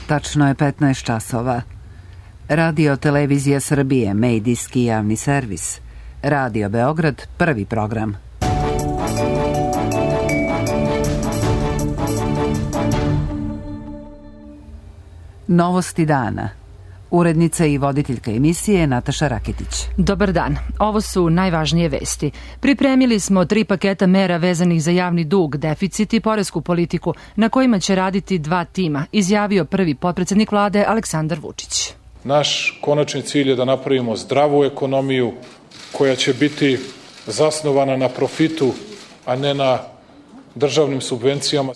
Tačno je 15 časova. Radio Televizija Srbije, medijski javni servis. Radio Beograd, prvi program. Novosti dana. Urednica i voditeljka emisije Nataša Raketić. Dobar dan. Ovo su najvažnije vesti. Pripremili smo 3 paketa mera vezanih za javni dug, deficit i poresku politiku, na kojima će raditi 2 tima, izjavio prvi potpredsednik vlade Aleksandar Vučić. Naš konačni cilj je da napravimo zdravu ekonomiju koja će biti zasnovana na profitu, a ne na državnim subvencijama.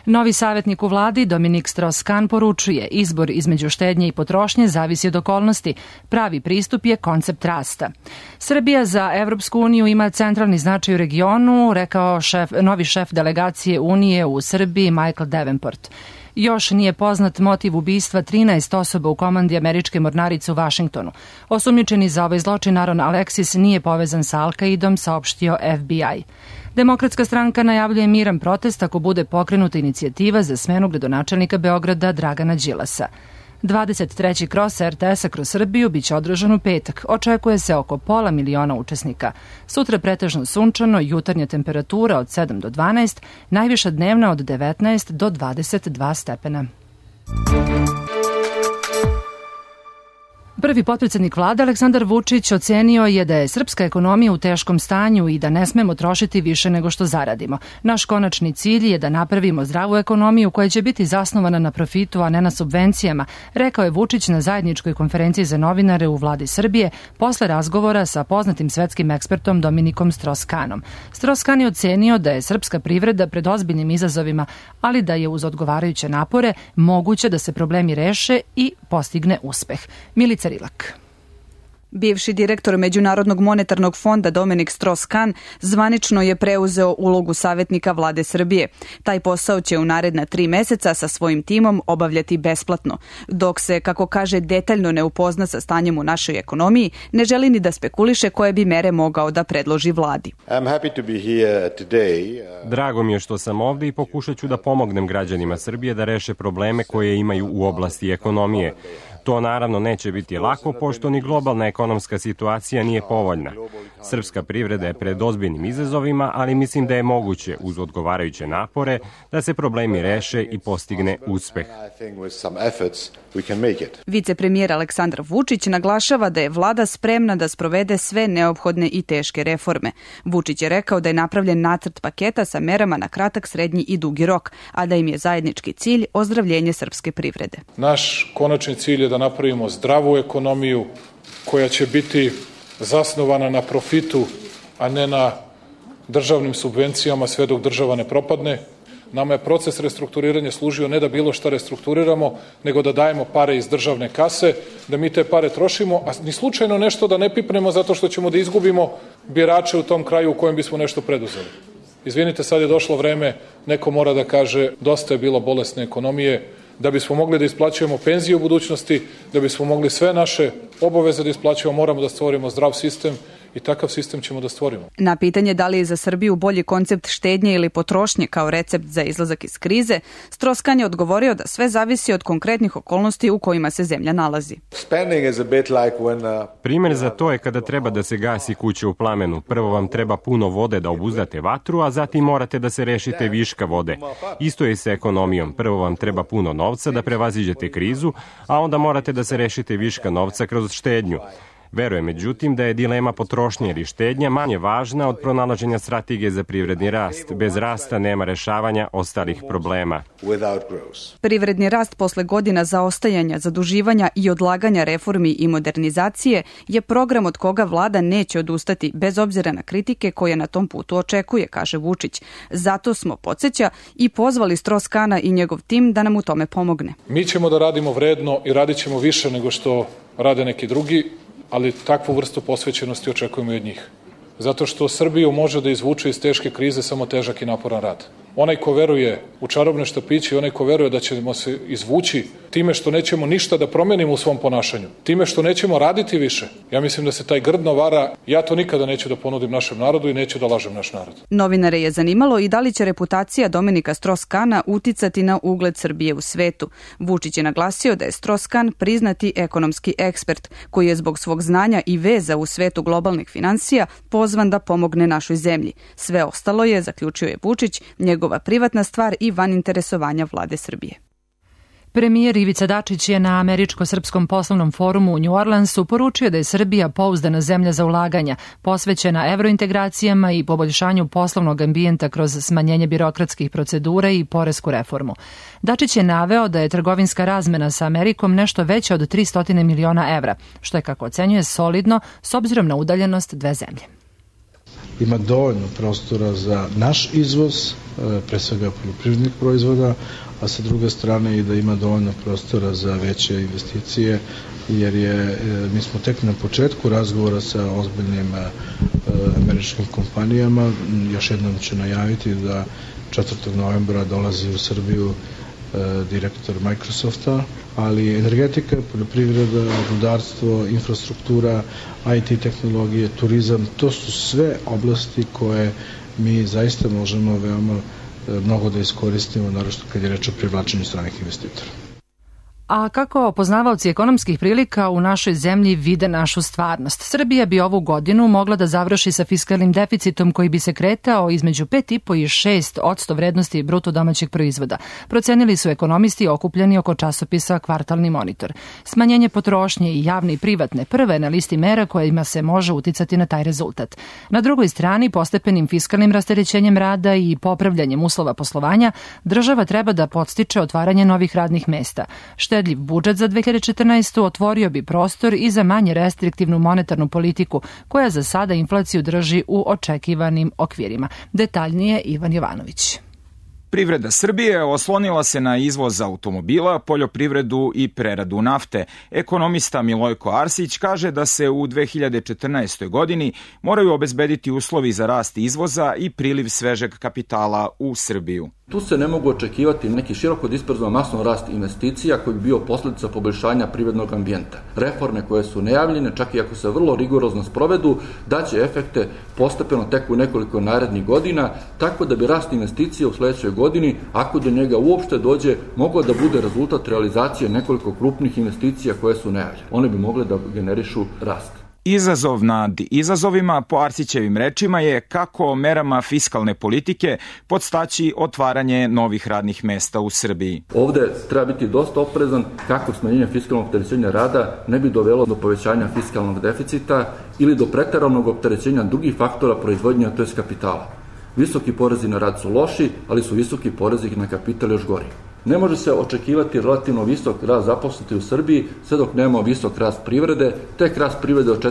Novi savjetnik u vladi Dominik Strauss-Kahn poručuje: izbor između štednje i potrošnje zavisi od okolnosti. Pravi pristup je koncept rasta. Srbija za Evropsku uniju ima centralni značaj u regionu, rekao novi šef delegacije Unije u Srbiji Michael Davenport. Još nije poznat motiv ubistva 13 osoba u komandi američke mornarice u Vašingtonu. Osumnjičeni za ovaj zločin Aaron Alexis nije povezan sa Al-Qaidom, saopštio FBI. Demokratska stranka najavljuje miran protest ako bude pokrenuta inicijativa za smenu gradonačelnika Beograda Dragana Đilasa. 23. kros RTS-a kroz Srbiju biće održan u petak. Očekuje se oko 500.000 učesnika. Sutra pretežno sunčano, jutarnja temperatura od 7 do 12, najviša dnevna od 19 do 22 stepena. Prvi potpredsednik vlade Aleksandar Vučić ocenio je da je srpska ekonomija u teškom stanju i da ne smemo trošiti više nego što zaradimo. Naš konačni cilj je da napravimo zdravu ekonomiju koja će biti zasnovana na profitu, a ne na subvencijama, rekao je Vučić na zajedničkoj konferenciji za novinare u vladi Srbije posle razgovora sa poznatim svetskim ekspertom Dominikom Strauss-Kahnom. Strauss-Kahn je ocenio da je srpska privreda pred ozbiljnim izazovima, ali da je uz odgovarajuće napore moguće da se problemi reše i postigne uspeh. Milica Rilak. Bivši direktor Međunarodnog monetarnog fonda Dominik Strauss-Kahn zvanično je preuzeo ulogu savjetnika vlade Srbije. Taj posao će u naredna 3 meseca sa svojim timom obavljati besplatno. Dok se, kako kaže, detaljno ne upozna sa stanjem u našoj ekonomiji, ne želi ni da spekuliše koje bi mere mogao da predloži vladi. Drago mi je što sam ovde i pokušat ću da pomognem građanima Srbije da reše probleme koje imaju u oblasti ekonomije. To naravno neće biti lako, pošto ni globalna ekonomska situacija nije povoljna. Srpska privreda je pred ozbiljnim izazovima, ali mislim da je moguće, uz odgovarajuće napore, da se problemi reše i postigne uspeh. Vicepremijer Aleksandar Vučić naglašava da je vlada spremna da sprovede sve neophodne i teške reforme. Vučić je rekao da je napravljen nacrt paketa sa merama na kratak, srednji i dugi rok, a da im je zajednički cilj ozdravljenje srpske privrede. Naš konačni cilj je da napravimo zdravu ekonomiju koja će biti zasnovana na profitu, a ne na državnim subvencijama sve dok država ne propadne. Nama je proces restrukturiranja služio ne da bilo šta restrukturiramo, nego da dajemo pare iz državne kase, da mi te pare trošimo, a ni slučajno nešto da ne pipnemo zato što ćemo da izgubimo birače u tom kraju u kojem bismo nešto preduzeli. Izvinite, sad je došlo vreme, neko mora da kaže dosta je bilo bolesne ekonomije, da bismo mogli da isplaćujemo penzije u budućnosti, da bismo mogli sve naše obaveze da isplaćujemo, moramo da stvorimo zdrav sistem i takav sistem ćemo da stvorimo. Na pitanje da li je za Srbiju bolji koncept štednje ili potrošnje kao recept za izlazak iz krize, Strauss-Kahn je odgovorio da sve zavisi od konkretnih okolnosti u kojima se zemlja nalazi. Primer za to je kada treba da se gasi kuća u plamenu. Prvo vam treba puno vode da obuzdate vatru, a zatim morate da se rešite viška vode. Isto je sa ekonomijom. Prvo vam treba puno novca da prevaziđete krizu, a onda morate da se rešite viška novca kroz štednju. Verujem, međutim, da je dilema potrošnje ili štednja manje važna od pronalaženja strategije za privredni rast. Bez rasta nema rešavanja ostalih problema. Privredni rast posle godina zaostajanja, zaduživanja i odlaganja reformi i modernizacije je program od koga vlada neće odustati, bez obzira na kritike koje na tom putu očekuje, kaže Vučić. Zato smo, podsjeća, i pozvali Strauss-Kahna i njegov tim da nam u tome pomogne. Mi ćemo da radimo vredno i radit ćemo više nego što rade neki drugi, ali takvu vrstu posvećenosti očekujemo i od njih. Zato što Srbiju može da izvuče iz teške krize samo težak i naporan rad. Onaj ko veruje u čarobne štapiće i onaj ko veruje da ćemo se izvući time što nećemo ništa da promenimo u svom ponašanju, time što nećemo raditi više, ja mislim da se taj grdno vara. Ja to nikada neću da ponudim našem narodu i neću da lažem naš narod. Novinare je zanimalo i da li će reputacija Dominika Strauss-Kahna uticati na ugled Srbije u svetu. Vučić je naglasio da je Strauss-Kahn priznati ekonomski ekspert, koji je zbog svog znanja i veza u svetu globalnih finansija pozvan da pomogne našoj zemlji. Sve ostalo je, zaključio je Vučić, njegova privatna stvar i van interesovanja vlade Srbije. Premijer Ivica Dačić je na Američko-srpskom poslovnom forumu u New Orleansu poručio da je Srbija pouzdana zemlja za ulaganja, posvećena evrointegracijama i poboljšanju poslovnog ambijenta kroz smanjenje birokratskih procedura i poresku reformu. Dačić je naveo da je trgovinska razmena sa Amerikom nešto veća od 300 miliona evra, što je, kako ocenjuje, solidno s obzirom na udaljenost dve zemlje. Ima dovoljno prostora za naš izvoz, pre svega poljoprivrednih proizvoda, a sa druge strane i da ima dovoljno prostora za veće investicije, jer mi smo tek na početku razgovora sa ozbiljnim američkim kompanijama. Još jednom ću najaviti da 4. novembra dolazi u Srbiju direktor Microsofta, ali energetika, poljoprivreda, rudarstvo, infrastruktura, IT tehnologije, turizam, to su sve oblasti koje mi zaista možemo veoma mnogo da iskoristimo, naročito kad je reč o privlačenju stranih investitora. A kako poznavaoci ekonomskih prilika u našoj zemlji vide našu stvarnost? Srbija bi ovu godinu mogla da završi sa fiskalnim deficitom koji bi se kretao između 5,5 i 6% vrednosti bruto domaćeg proizvoda. Procenili su ekonomisti okupljeni oko časopisa Kvartalni monitor. Smanjenje potrošnje i javne i privatne prve na listi mera kojima se može uticati na taj rezultat. Na drugoj strani, postepenim fiskalnim rasterećenjem rada i popravljanjem uslova poslovanja, država treba da podstiče otvaranje novih radnih mesta. Štedljiv budžet za 2014. otvorio bi prostor i za manje restriktivnu monetarnu politiku, koja za sada inflaciju drži u očekivanim okvirima. Detaljnije Ivan Jovanović. Privreda Srbije oslonila se na izvoz automobila, poljoprivredu i preradu nafte. Ekonomista Milojko Arsić kaže da se u 2014. godini moraju obezbediti uslovi za rast izvoza i priliv svežeg kapitala u Srbiju. Tu se ne mogu očekivati neki široko disperzovan masno rast investicija koji bi bio posljedica poboljšanja privrednog ambijenta. Reforme koje su najavljene, čak i ako se vrlo rigorozno sprovedu, daće efekte postepeno tek u nekoliko narednih godina, tako da bi rast investicija u sledećoj godini, ako do njega uopšte dođe, mogao da bude rezultat realizacije nekoliko krupnih investicija koje su najavljene. One bi mogle da generišu rast. Izazov nad izazovima, po Arsićevim rečima, je kako merama fiskalne politike podstaći otvaranje novih radnih mesta u Srbiji. Ovde treba biti dosta oprezan kako smanjenje fiskalnog opterećenja rada ne bi dovelo do povećanja fiskalnog deficita ili do preteranog opterećenja drugih faktora proizvodnja, to jest kapitala. Visoki porezi na rad su loši, ali su visoki porezi na kapital još gori. Ne može se očekivati relativno visok rast zaposlenosti u Srbiji sve dok nemamo visok rast privrede, tek rast privrede od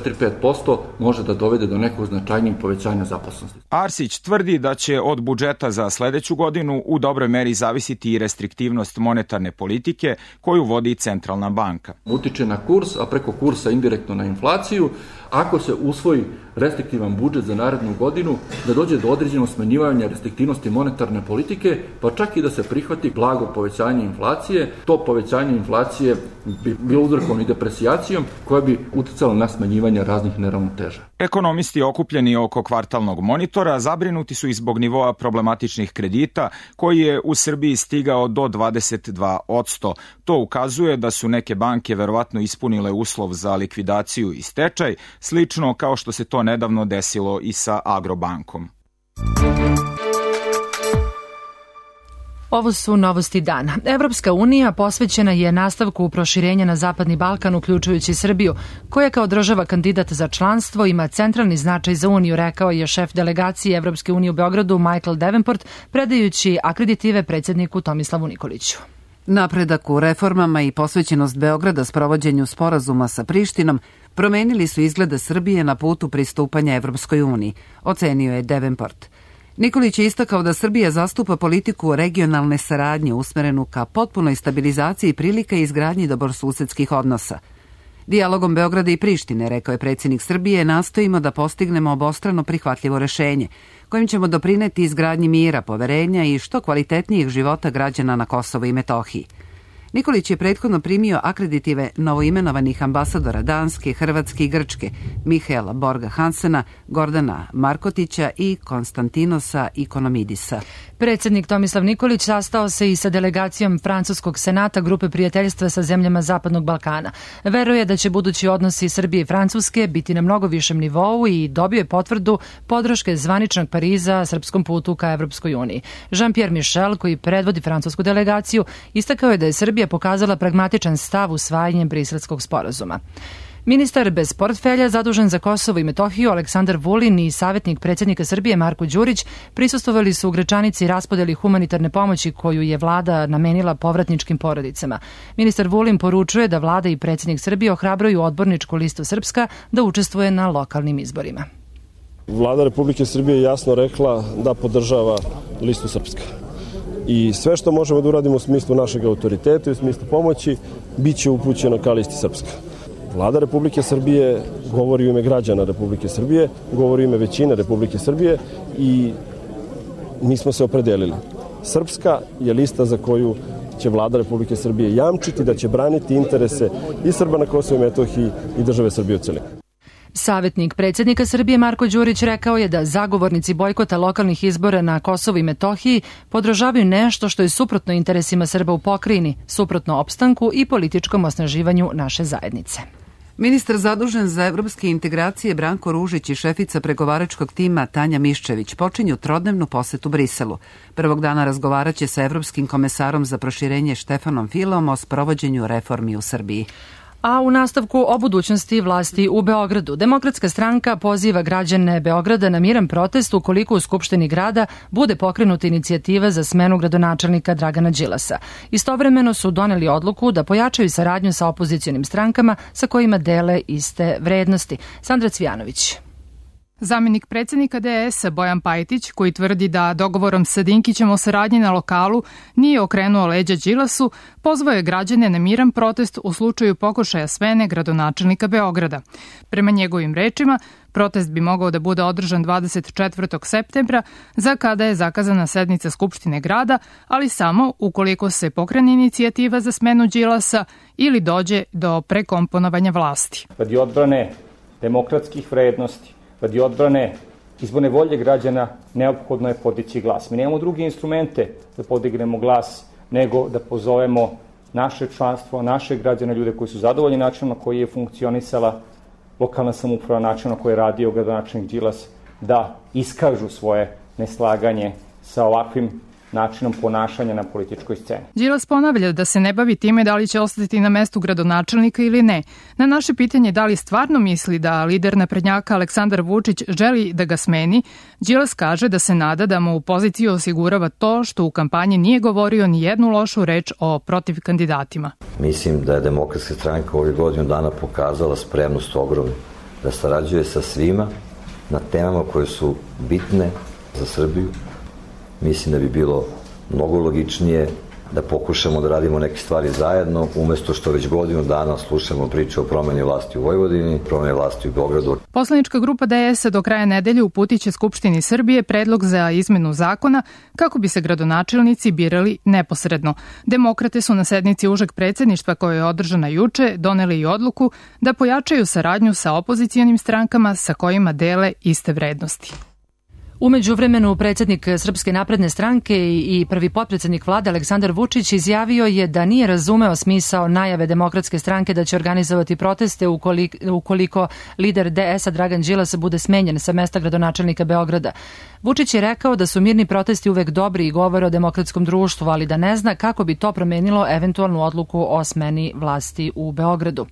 4-5% može da dovede do nekog značajnijeg povećanja zaposlenosti. Arsić tvrdi da će od budžeta za sledeću godinu u dobroj meri zavisiti i restriktivnost monetarne politike koju vodi Centralna banka. Utiče na kurs, a preko kursa indirektno na inflaciju. Ako se usvoji restriktivan budžet za narednu godinu, da dođe do određenog smanjivanja restriktivnosti monetarne politike, pa čak i da se prihvati blago povećanje inflacije, to povećanje inflacije bi bilo uzrokovano i depresijacijom koja bi uticala na smanjivanje raznih neravnoteža. Ekonomisti okupljeni oko Kvartalnog monitora zabrinuti su i zbog nivoa problematičnih kredita koji je u Srbiji stigao do 22%. To ukazuje da su neke banke verovatno ispunile uslov za likvidaciju i stečaj, slično kao što se to nedavno desilo i sa Agrobankom. Ovo su novosti dana. Evropska unija posvećena je nastavku proširenja na Zapadni Balkan, uključujući Srbiju, koja kao država kandidat za članstvo ima centralni značaj za Uniju, rekao je šef delegacije Evropske unije u Beogradu Michael Davenport, predajući akreditive predsjedniku Tomislavu Nikoliću. Napredak u reformama i posvećenost Beograda sprovođenju sporazuma sa Prištinom promenili su izglede Srbije na putu pristupanja Evropskoj uniji, ocenio je Davenport. Nikolić je istakao da Srbija zastupa politiku regionalne saradnje usmerenu ka potpunoj stabilizaciji prilika i izgradnji dobrosusedskih odnosa. Dijalogom Beograda i Prištine, rekao je predsjednik Srbije, nastojimo da postignemo obostrano prihvatljivo rešenje, kojim ćemo doprineti izgradnji mira, poverenja i što kvalitetnijih života građana na Kosovu i Metohiji. Nikolić je prethodno primio akreditive novoimenovanih ambasadora Danske, Hrvatske i Grčke, Mihaela Borga Hansena, Gordana Markotića i Konstantinosa Ikonomidisa. Predsjednik Tomislav Nikolić sastao se i sa delegacijom Francuskog senata Grupe prijateljstva sa zemljama Zapadnog Balkana. Veruje da će budući odnosi Srbije i Francuske biti na mnogo višem nivou i dobio je potvrdu podrške zvaničnog Pariza srpskom putu ka Evropskoj uniji. Jean-Pierre Michel, koji predvodi francusku delegaciju, istakao je da je Srbija pokazala pragmatičan stav usvajanjem Briselskog sporazuma. Ministar bez portfelja zadužen za Kosovo i Metohiju Aleksandar Vulin i savjetnik predsjednika Srbije Marko Đurić prisustvovali su u Gračanici raspodeli humanitarne pomoći koju je vlada namenila povratničkim porodicama. Ministar Vulin poručuje da vlada i predsjednik Srbije ohrabruju odborničku listu Srpska da učestvuje na lokalnim izborima. Vlada Republike Srbije je jasno rekla da podržava listu Srpska. I sve što možemo da uradimo u smislu našeg autoriteta i u smislu pomoći bit će upućeno ka listi Srpska. Vlada Republike Srbije govori u ime građana Republike Srbije, govori u ime većine Republike Srbije i mi smo se opredelili. Srpska je lista za koju će Vlada Republike Srbije jamčiti da će braniti interese i Srba na Kosovu i Metohiji i države Srbije u celini. Savjetnik predsjednika Srbije Marko Đurić rekao je da zagovornici bojkota lokalnih izbora na Kosovu i Metohiji podržavaju nešto što je suprotno interesima Srba u pokrajini, suprotno opstanku i političkom osnaživanju naše zajednice. Ministar zadužen za evropske integracije Branko Ružić i šefica pregovaračkog tima Tanja Miščević počinju trodnevnu posetu Briselu. Prvog dana razgovaraće sa evropskim komesarom za proširenje Štefanom Filom o sprovođenju reformi u Srbiji. A u nastavku o budućnosti vlasti u Beogradu. Demokratska stranka poziva građane Beograda na miran protest ukoliko u Skupštini grada bude pokrenuta inicijativa za smenu gradonačelnika Dragana Đilasa. Istovremeno su doneli odluku da pojačaju saradnju sa opozicionim strankama sa kojima dele iste vrednosti. Sandra Cvijanović. Zamenik predsjednika DS-a Bojan Pajtić, koji tvrdi da dogovorom sa Dinkićem o saradnji na lokalu nije okrenuo leđa Đilasu, pozvao je građane na miran protest u slučaju pokušaja smene gradonačelnika Beograda. Prema njegovim rečima, protest bi mogao da bude održan 24. septembra, za kada je zakazana sednica Skupštine grada, ali samo ukoliko se pokrene inicijativa za smenu Đilasa ili dođe do prekomponovanja vlasti. Radi odbrane demokratskih vrednosti, radi odbrane izborne volje građana, neophodno je podići glas. Mi nemamo druge instrumente da podignemo glas nego da pozovemo naše članstvo, naše građane, ljude koji su zadovoljni načinom na koji je funkcionisala lokalna samouprava, način na koji je radio gradonačelnik Đilas, da iskažu svoje neslaganje sa ovakvim načinom ponašanja na političkoj sceni. Đilas ponavlja da se ne bavi time da li će ostati na mestu gradonačelnika ili ne. Na naše pitanje da li stvarno misli da lider naprednjaka Aleksandar Vučić želi da ga smeni, Đilas kaže da se nada da mu u poziciju osigurava to što u kampanji nije govorio ni jednu lošu reč o protiv kandidatima. Mislim da je Demokratska stranka ovih godinu dana pokazala spremnost ogromnu da sarađuje sa svima na temama koje su bitne za Srbiju. Mislim da bi bilo mnogo logičnije da pokušamo da radimo neke stvari zajedno, umesto što već godinu dana slušamo priče o promeni vlasti u Vojvodini, promeni vlasti u Beogradu. Poslanička grupa DS-a do kraja nedelje uputiće Skupštini Srbije predlog za izmenu zakona kako bi se gradonačelnici birali neposredno. Demokrate su na sednici užeg predsjedništva koja je održana juče doneli i odluku da pojačaju saradnju sa opozicijonim strankama sa kojima dele iste vrednosti. U međuvremenu predsjednik Srpske napredne stranke i prvi potpredsjednik vlade Aleksandar Vučić izjavio je da nije razumeo smisao najave Demokratske stranke da će organizovati proteste ukoliko lider DS-a Dragan Đilas bude smenjen sa mesta gradonačelnika Beograda. Vučić je rekao da su mirni protesti uvek dobri i govore o demokratskom društvu, ali da ne zna kako bi to promenilo eventualnu odluku o smeni vlasti u Beogradu.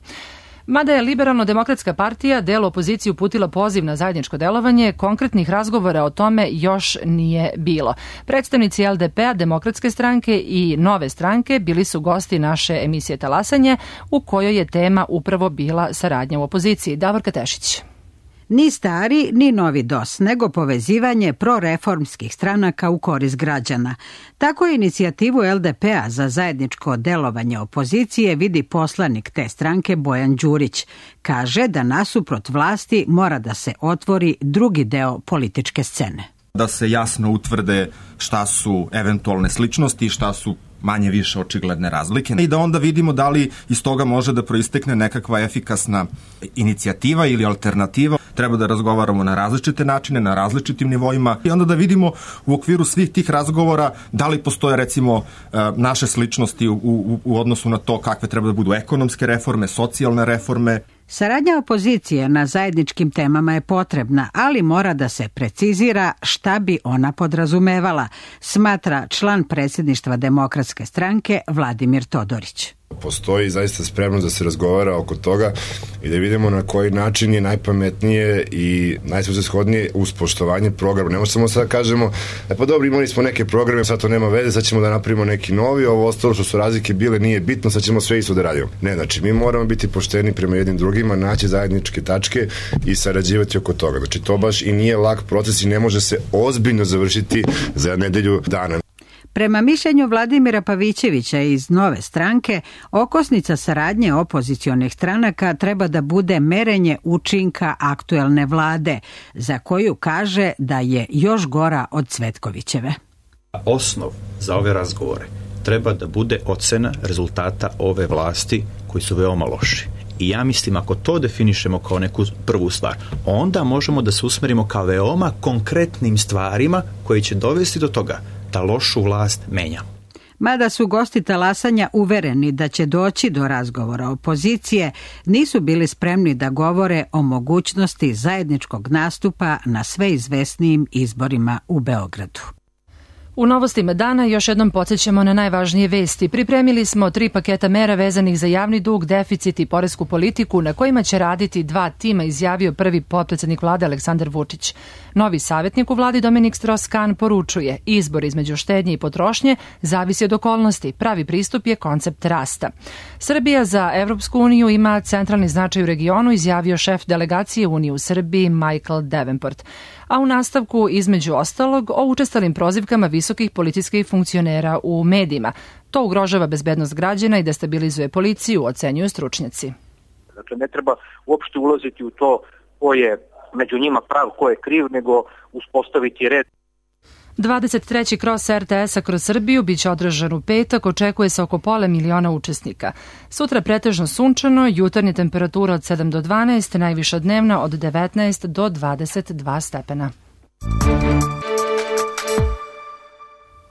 Mada je Liberalno-demokratska partija delu opozicije uputila poziv na zajedničko delovanje, konkretnih razgovora o tome još nije bilo. Predstavnici LDP-a, Demokratske stranke i Nove stranke bili su gosti naše emisije Talasanje, u kojoj je tema upravo bila saradnja u opoziciji. Davorka Tešić. Ni stari, ni novi DOS, nego povezivanje proreformskih stranaka u korist građana. Tako inicijativu LDP-a za zajedničko delovanje opozicije vidi poslanik te stranke Bojan Đurić. Kaže da nasuprot vlasti mora da se otvori drugi deo političke scene. Da se jasno utvrde šta su eventualne sličnosti i šta su manje više očigledne razlike i da onda vidimo da li iz toga može da proistekne nekakva efikasna inicijativa ili alternativa. Treba da razgovaramo na različite načine, na različitim nivoima i onda da vidimo u okviru svih tih razgovora da li postoje recimo naše sličnosti u odnosu na to kakve treba da budu ekonomske reforme, socijalne reforme. Saradnja opozicije na zajedničkim temama je potrebna, ali mora da se precizira šta bi ona podrazumevala, smatra član predsjedništva Demokratske stranke Vladimir Todorić. Postoji zaista spremnost da se razgovara oko toga i da vidimo na koji način je najpametnije i najsvrsishodnije uz poštovanje programa. Ne možemo sad kažemo, pa dobro, imali smo neke programe, sad to nema veze, sad ćemo da napravimo neki novi, ovo ostalo što su razlike bile nije bitno, sad ćemo sve isto da radimo. Ne, znači mi moramo biti pošteni prema jednim drugima, naći zajedničke tačke i sarađivati oko toga. Znači to baš i nije lak proces i ne može se ozbiljno završiti za nedelju dana. Prema mišljenju Vladimira Pavićevića iz Nove stranke, okosnica saradnje opozicionih stranaka treba da bude merenje učinka aktuelne vlade, za koju kaže da je još gora od Cvetkovićeve. Osnov za ove razgovore treba da bude ocena rezultata ove vlasti koji su veoma loši. I ja mislim, ako to definišemo kao neku prvu stvar, onda možemo da se usmerimo ka veoma konkretnim stvarima koji će dovesti do toga da lošu vlast menjamo. Mada su gosti talasanja uvereni da će doći do razgovora opozicije, nisu bili spremni da govore o mogućnosti zajedničkog nastupa na sve izvesnijim izborima u Beogradu. U novostima dana još jednom podsjećamo na najvažnije vesti. Pripremili smo 3 paketa mera vezanih za javni dug, deficit i poresku politiku na kojima će raditi 2 tima, izjavio prvi potpredsednik vlade Aleksandar Vučić. Novi savjetnik u vladi Dominik Strauss-Kahn poručuje: izbor između štednje i potrošnje zavisi od okolnosti, pravi pristup je koncept rasta. Srbija za Evropsku uniju ima centralni značaj u regionu, izjavio šef delegacije Unije u Srbiji Michael Davenport. A u nastavku, između ostalog, o učestalim prozivkama visokih policijskih funkcionera u medijima. To ugrožava bezbednost građana i destabilizuje policiju, ocenjuju stručnjaci. Dakle, ne treba uopšte ulaziti u to ko je među njima prav, ko je kriv, nego uspostaviti red. 23. kros RTS-a kroz Srbiju biće održan u petak, očekuje se oko 500.000 učesnika. Sutra pretežno sunčano, jutarnja temperatura od 7 do 12, najviša dnevna od 19 do 22 stepena.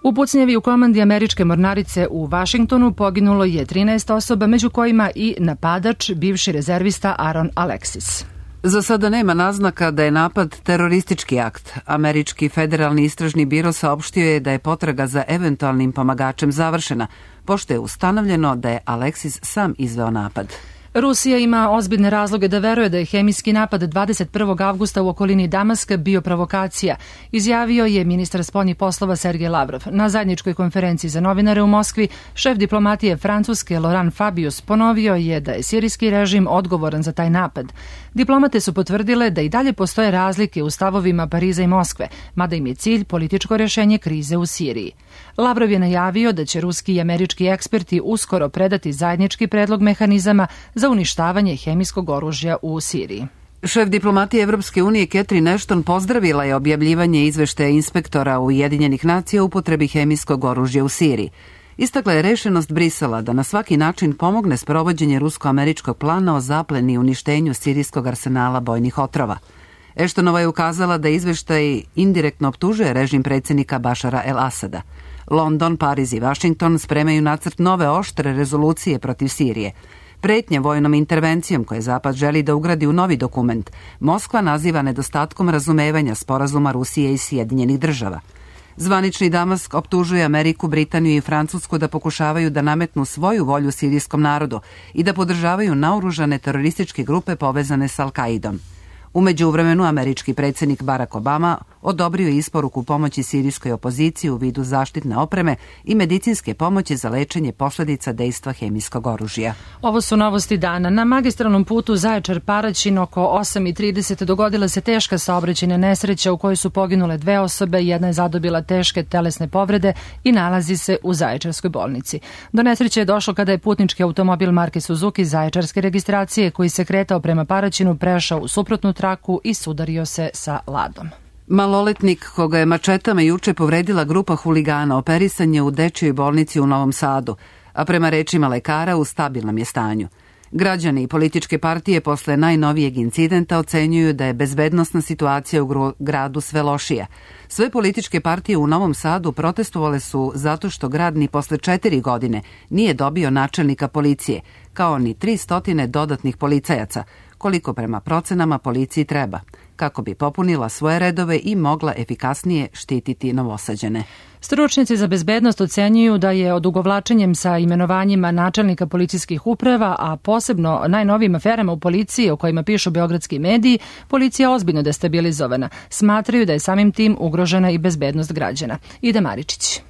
U pucnjavi u komandi američke mornarice u Vašingtonu poginulo je 13 osoba, među kojima i napadač, bivši rezervista Aaron Alexis. Za sada nema naznaka da je napad teroristički akt. Američki federalni istražni biro saopštio je da je potraga za eventualnim pomagačem završena, pošto je ustanovljeno da je Alexis sam izveo napad. Rusija ima ozbiljne razloge da veruje da je hemijski napad 21. avgusta u okolini Damaska bio provokacija, izjavio je ministar spoljnih poslova Sergej Lavrov. Na zajedničkoj konferenciji za novinare u Moskvi, šef diplomatije Francuske Laurent Fabius ponovio je da je sirijski režim odgovoran za taj napad. Diplomate su potvrdile da i dalje postoje razlike u stavovima Pariza i Moskve, mada im je cilj političko rješenje krize u Siriji. Lavrov je najavio da će ruski i američki eksperti uskoro predati zajednički predlog mehanizama za uništavanje hemijskog oružja u Siriji. Šef diplomatije Evropske unije Catherine Ashton pozdravila je objavljivanje izveštaja inspektora Ujedinjenih nacija o upotrebi hemijskog oružja u Siriji. Istakla je rešenost Brisela da na svaki način pomogne sprovođenje rusko-američkog plana o zapleni i uništenju sirijskog arsenala bojnih otrova. Ashtonova je ukazala da izveštaj indirektno optužuje režim predsjednika Bašara el-Asada. London, Pariz i Vašington spremaju nacrt nove oštre rezolucije protiv Sirije. Pretnje vojnom intervencijom koje Zapad želi da ugradi u novi dokument, Moskva naziva nedostatkom razumevanja sporazuma Rusije i Sjedinjenih država. Zvanični Damask optužuje Ameriku, Britaniju i Francusku da pokušavaju da nametnu svoju volju sirijskom narodu i da podržavaju naoružane terorističke grupe povezane s Al-Kaidom. U međuvremenu, američki predsjednik Barack Obama odobrio isporuku pomoći sirijskoj opoziciji u vidu zaštitne opreme i medicinske pomoći za lečenje posledica dejstva hemijskog oružja. Ovo su novosti dana. Na magistralnom putu Zaječar-Paraćin oko 8:30 dogodila se teška saobraćajna nesreća u kojoj su poginule 2 osobe, jedna je zadobila teške telesne povrede i nalazi se u Zaječarskoj bolnici. Do nesreće je došlo kada je putnički automobil marke Suzuki zaječarske registracije koji se kretao prema Paraćinu prešao u suprotnu traku i sudario se sa ladom. Maloletnik koga je mačetama juče povredila grupa huligana operisan je u dečijoj bolnici u Novom Sadu, a prema rečima lekara u stabilnom je stanju. Građani i političke partije posle najnovijeg incidenta ocenjuju da je bezbednosna situacija u gradu sve lošija. Sve političke partije u Novom Sadu protestovale su zato što grad ni posle 4 godine nije dobio načelnika policije, kao ni 300 dodatnih policajaca, koliko prema procenama policiji treba, kako bi popunila svoje redove i mogla efikasnije štititi Novosađane. Stručnjaci za bezbednost ocenjuju da je odugovlačenjem sa imenovanjima načelnika policijskih uprava, a posebno najnovijim aferama u policiji o kojima pišu beogradski mediji, policija ozbiljno destabilizovana. Smatraju da je samim tim ugrožena i bezbednost građana. Ida Maričić.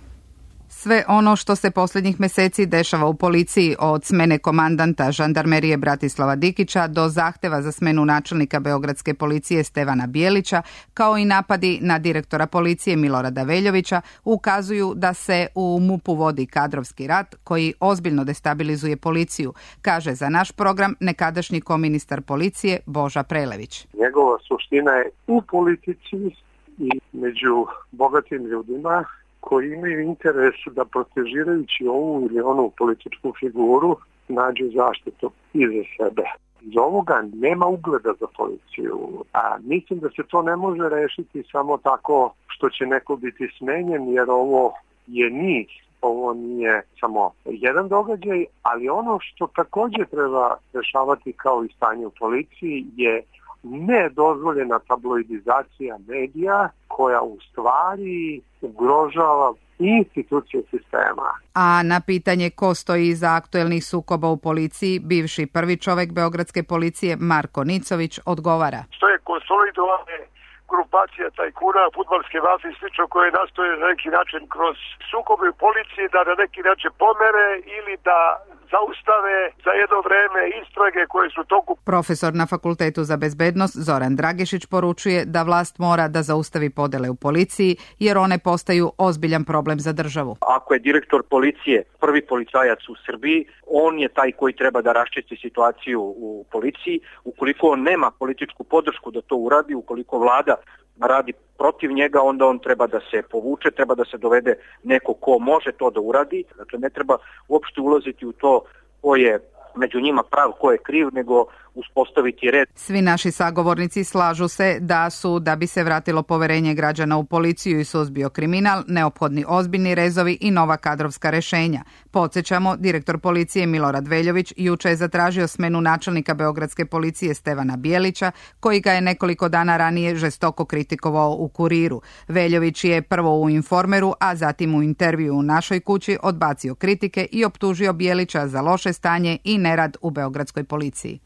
Sve ono što se posljednjih meseci dešava u policiji, od smene komandanta žandarmerije Bratislava Dikića do zahteva za smenu načelnika beogradske policije Stevana Bijelića, kao i napadi na direktora policije Milorada Veljovića, ukazuju da se u MUP-u vodi kadrovski rat koji ozbiljno destabilizuje policiju, kaže za naš program nekadašnji koministar policije Boža Prelević. Njegova suština je u politici i među bogatim ljudima koji imaju interes da protežirajući ovu ili onu političku figuru nađu zaštitu i za sebe. Iz ovoga nema ugleda za policiju, a mislim da se to ne može rešiti samo tako što će neko biti smenjen, jer ovo je niz. Ovo nije samo jedan događaj, ali ono što također treba rešavati kao i stanje u policiji je nedozvoljena tabloidizacija medija koja u stvari ugrožava institucije sistema. A na pitanje ko stoji iza aktuelnih sukoba u policiji, bivši prvi čovek beogradske policije Marko Nicović odgovara. Što je konsolidovane grupacija tajkuna, fudbalske mafije i slično koje nastoje na neki način kroz sukobe u policiji da na neki način pomere ili da zaustave za jedno vreme istrage koje su toku. Profesor na Fakultetu za bezbednost Zoran Dragišić poručuje da vlast mora da zaustavi podele u policiji jer one postaju ozbiljan problem za državu. Ako je direktor policije prvi policajac u Srbiji, on je taj koji treba da raščisti situaciju u policiji. Ukoliko on nema političku podršku da to uradi, ukoliko vlada radi protiv njega, onda on treba da se povuče, treba da se dovede neko ko može to da uradi. Dakle, ne treba uopšte ulaziti u to ko je među njima prav, ko je kriv, nego uspostaviti red. Svi naši sagovornici slažu se da su, da bi se vratilo poverenje građana u policiju i suzbio kriminal, neophodni ozbiljni rezovi i nova kadrovska rešenja. Podsjećamo, direktor policije Milorad Veljović juče je zatražio smenu načelnika beogradske policije Stevana Bijelića, koji ga je nekoliko dana ranije žestoko kritikovao u Kuriru. Veljović je prvo u Informeru, a zatim u intervju u Našoj kući odbacio kritike i optužio Bijelića za loše stanje i nerad u beogradskoj policiji.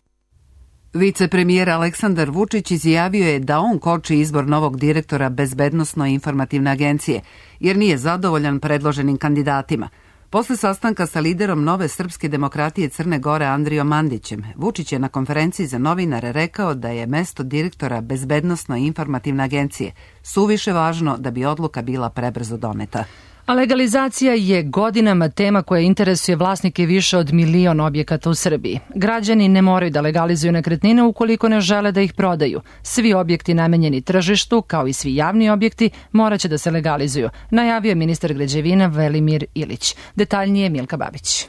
Vicepremijer Aleksandar Vučić izjavio je da on koči izbor novog direktora Bezbednosno-informativne agencije, jer nije zadovoljan predloženim kandidatima. Posle sastanka sa liderom Nove srpske demokratije Crne Gore Andrijom Mandićem, Vučić je na konferenciji za novinare rekao da je mesto direktora Bezbednosno-informativne agencije suviše važno da bi odluka bila prebrzo doneta. A legalizacija je godinama tema koja interesuje vlasnike više od 1.000.000 objekata u Srbiji. Građani ne moraju da legalizuju nekretnine ukoliko ne žele da ih prodaju. Svi objekti namenjeni tržištu, kao i svi javni objekti, moraće da se legalizuju, najavio je ministar građevina Velimir Ilić. Detaljnije Milka Babić.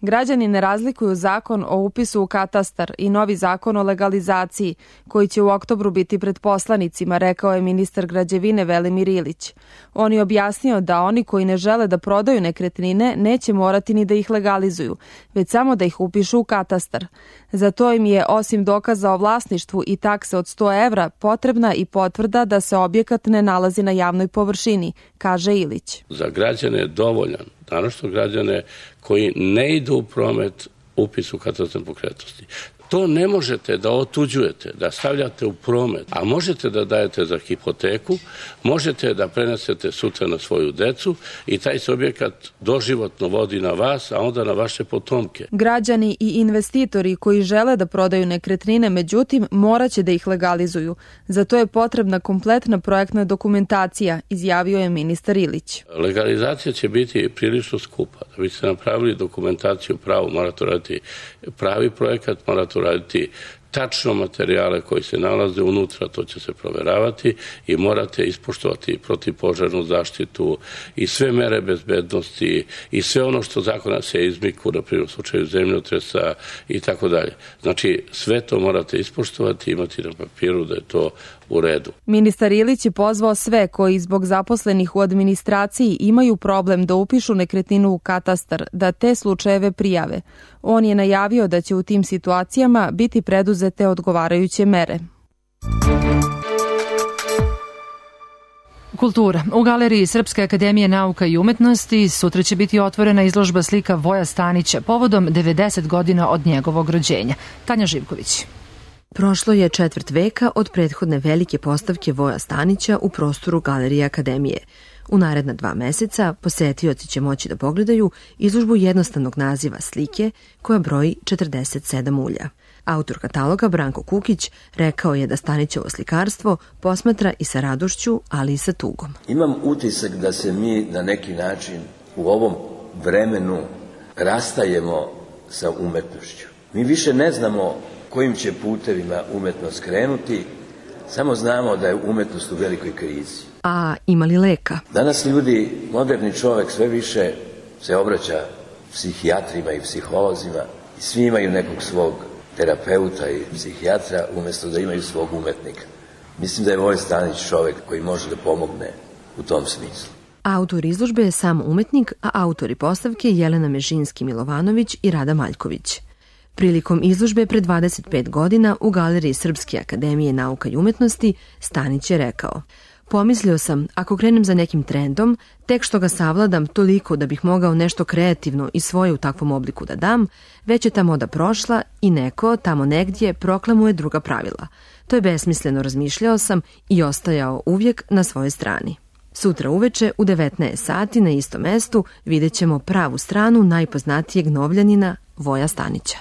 Građani ne razlikuju zakon o upisu u katastar i novi zakon o legalizaciji, koji će u oktobru biti pred poslanicima, rekao je ministar građevine Velimir Ilić. On je objasnio da oni koji ne žele da prodaju nekretnine neće morati ni da ih legalizuju, već samo da ih upišu u katastar. Za to im je, osim dokaza o vlasništvu i takse od 100 evra, potrebna i potvrda da se objekat ne nalazi na javnoj površini, kaže Ilić. Za građane je dovoljan, naročito građane koji ne idu u promet, upis u katastar nepokretnosti. To ne možete da otuđujete, da stavljate u promet, a možete da dajete za hipoteku, možete da prenesete sutra na svoju decu i taj se objekat doživotno vodi na vas, a onda na vaše potomke. Građani i investitori koji žele da prodaju nekretnine, međutim, moraće da ih legalizuju. Za to je potrebna kompletna projektna dokumentacija, izjavio je ministar Ilić. Legalizacija će biti prilično skupa. Da biste napravili dokumentaciju pravu, morate raditi pravi projekat, morate raditi tačno materijale koji se nalaze unutra, to će se proveravati i morate ispoštovati protivpožarnu zaštitu i sve mere bezbednosti i sve ono što zakona se izmiku, na primjer u slučaju zemljotresa i tako dalje. Znači, sve to morate ispoštovati i imati na papiru da je to u redu. Ministar Ilić je pozvao sve koji zbog zaposlenih u administraciji imaju problem da upišu nekretninu u katastar, da te slučajeve prijave. On je najavio da će u tim situacijama biti preduzete odgovarajuće mere. Kultura. U Galeriji Srpske akademije nauka i umetnosti sutra će biti otvorena izložba slika Voja Stanića povodom 90 godina od njegovog rođenja. Tanja Živković. Prošlo je četvrt veka od prethodne velike postavke Voja Stanića u prostoru Galerije Akademije. U naredna 2 meseca posetioci će moći da pogledaju izložbu jednostavnog naziva slike koja broji 47 ulja. Autor kataloga Branko Kukić rekao je da Stanićevo slikarstvo posmatra i sa radošću, ali i sa tugom. Imam utisak da se mi na neki način u ovom vremenu rastajemo sa umetnošću. Mi više ne znamo kojim će putevima umetnost krenuti, samo znamo da je umetnost u velikoj krizi. A ima li leka? Danas ljudi, moderni čovek sve više se obraća psihijatrima i psiholozima i svi imaju nekog svog terapeuta i psihijatra umjesto da imaju svog umetnika. Mislim da je Voja Stanić čovek koji može da pomogne u tom smislu. Autor izložbe je sam umetnik, a autori postavke Jelena Mežinski-Milovanović i Rada Maljković. Prilikom izložbe pre 25 godina u Galeriji Srpske akademije nauka i umetnosti Stanić je rekao: pomislio sam, ako krenem za nekim trendom, tek što ga savladam toliko da bih mogao nešto kreativno i svoje u takvom obliku da dam, već je ta moda prošla i neko tamo negdje proklamuje druga pravila. To je besmisleno, razmišljao sam i ostajao uvijek na svojoj strani. Sutra uveče u 19 sati na istom mestu vidjet ćemo pravu stranu najpoznatijeg Novljanina Voja Stanića.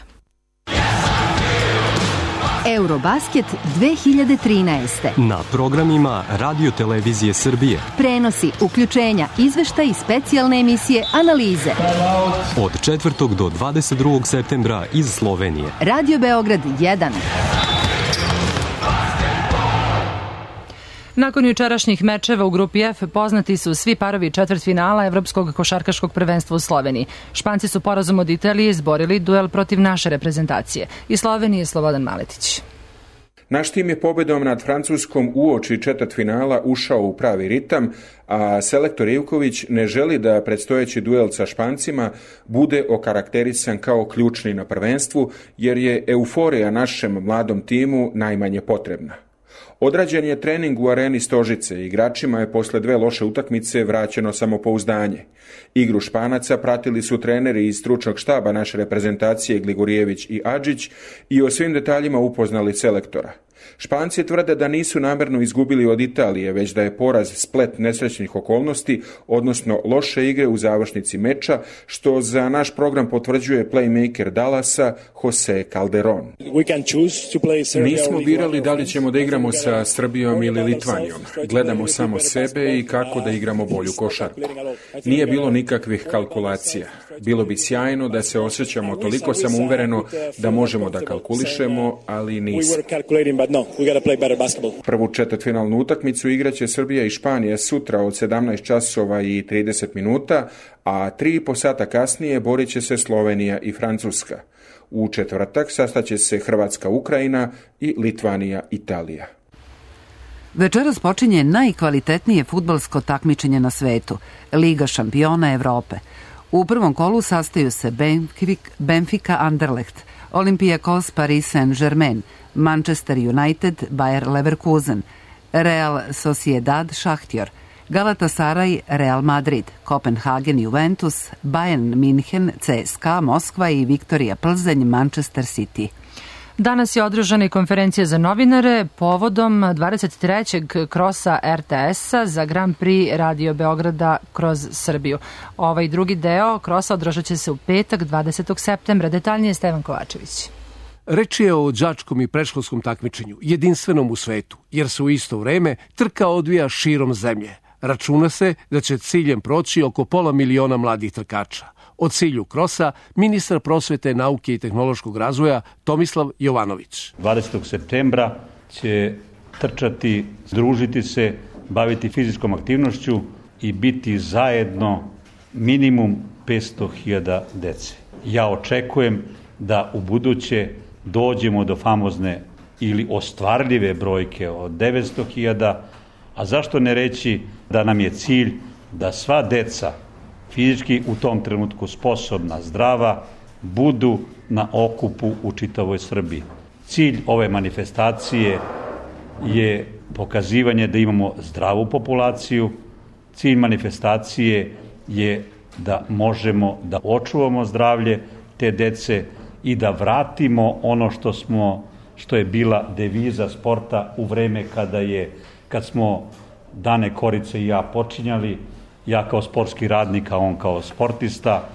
Eurobasket 2013. Na programima Radio Televizije Srbije. Prenosi, uključenja, izveštaj i specijalne emisije, analize. Od 4. do 22. septembra iz Slovenije. Radio Beograd 1. Nakon jučerašnjih mečeva u grupi F poznati su svi parovi četvrtfinala Evropskog košarkaškog prvenstva u Sloveniji. Španci su porazom od Italije izborili duel protiv naše reprezentacije. Iz Slovenije Slobodan Maletić. Naš tim je pobedom nad Francuskom uoči četvrtfinala ušao u pravi ritam, a selektor Ivković ne želi da predstojeći duel sa Špancima bude okarakterisan kao ključni na prvenstvu, jer je euforija našem mladom timu najmanje potrebna. Odrađen je trening u areni Stožice, igračima je posle 2 loše utakmice vraćeno samopouzdanje. Igru Španaca pratili su treneri iz stručnog štaba naše reprezentacije Gligorijević i Adžić i o svim detaljima upoznali selektora. Španci tvrde da nisu namerno izgubili od Italije, već da je poraz splet nesrećnih okolnosti, odnosno loše igre u završnici meča, što za naš program potvrđuje playmaker Dallasa Jose Calderon. Nismo birali da li ćemo da igramo sa Srbijom ili Litvanijom. Gledamo samo sebe i kako da igramo bolju košarku. Nije bilo nikakvih kalkulacija. Bilo bi sjajno da se osjećamo toliko samouvereno da možemo da kalkulišemo, ali nismo. Prvu četvrtfinalnu utakmicu igraće Srbija i Španija sutra od 17 časova i 30 minuta, a 3,5 sata kasnije borit će se Slovenija i Francuska. U četvrtak sastaće se Hrvatska, Ukrajina i Litvanija, Italija. Večeras počinje najkvalitetnije fudbalsko takmičenje na svetu, Liga šampiona Evrope. U prvom kolu sastaju se Benfica Anderlecht, Olympiakos Paris Saint-Germain, Manchester United Bayer Leverkusen, Real Sociedad Šahtjor, Galatasaray Real Madrid, Kopenhagen Juventus, Bayern München, CSKA Moskva i Viktorija Plzeň Manchester City. Danas je održana i konferencija za novinare povodom 23. krosa RTS-a za Grand Prix Radio Beograda kroz Srbiju. Ovaj drugi deo krosa održat će se u petak 20. septembra. Detaljnije Stevan Kovačević. Reč je o đačkom i predškolskom takmičenju, jedinstvenom u svetu, jer se u isto vreme trka odvija širom zemlje. Računa se da će ciljem proći oko 500.000 mladih trkača. O cilju krosa ministar prosvete, nauke i tehnološkog razvoja Tomislav Jovanović. 20. septembra će trčati, družiti se, baviti fizičkom aktivnošću i biti zajedno minimum 500.000 dece. Ja očekujem da u buduće dođemo do famozne ili ostvarljive brojke od 900.000, a zašto ne reći da nam je cilj da sva deca fizički u tom trenutku sposobna, zdrava, budu na okupu u čitavoj Srbiji. Cilj ove manifestacije je pokazivanje da imamo zdravu populaciju, cilj manifestacije je da možemo da očuvamo zdravlje te dece i da vratimo ono što je bila deviza sporta u vreme kad smo Dane Korice i ja počinjali, ja kao sportski radnik, a on kao sportista,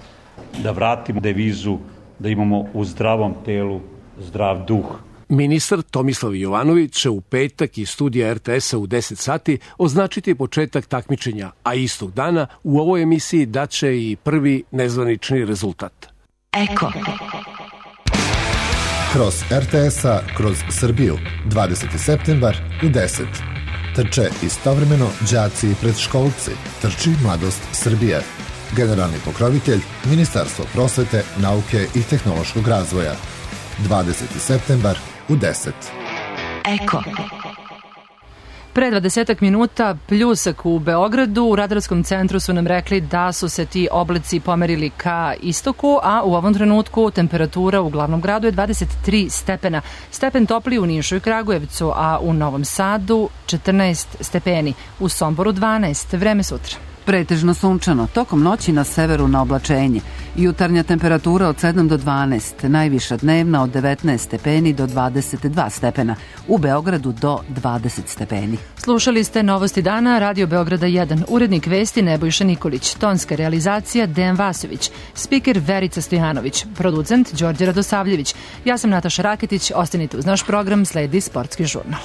da vratimo devizu da imamo u zdravom telu zdrav duh. Ministar Tomislav Jovanović će u petak iz studija RTS-a u 10 sati označiti početak takmičenja, a istog dana u ovoj emisiji daće i prvi nezvanični rezultat. Eko. Kroz RTS-a, kroz Srbiju, 20. septembar u 10. Trče istovremeno đaci i predškolci. Trči Mladost Srbije. Generalni pokrovitelj Ministarstvo prosvete, nauke i tehnološkog razvoja. 20. septembar u 10. Eko. Pre 20 minuta pljusak u Beogradu. U radarskom centru su nam rekli da su se ti oblici pomerili ka istoku, a u ovom trenutku temperatura u glavnom gradu je 23 stepena. Stepen topliji u Nišu i Kragujevcu, a u Novom Sadu 14 stepeni. U Somboru 12. Vreme sutra. Pretežno sunčano, tokom noći na severu na oblačenje. Jutarnja temperatura od 7 do 12, najviša dnevna od 19 stepeni do 22 stepena, u Beogradu do 20 stepeni. Slušali ste Novosti dana, Radio Beograda 1, urednik vesti Nebojša Nikolić, tonska realizacija Dejan Vasović, spiker Verica Stojanović, producent Đorđe Radosavljević. Ja sam Nataša Raketić, ostanite uz naš program, sledi Sportski žurnal.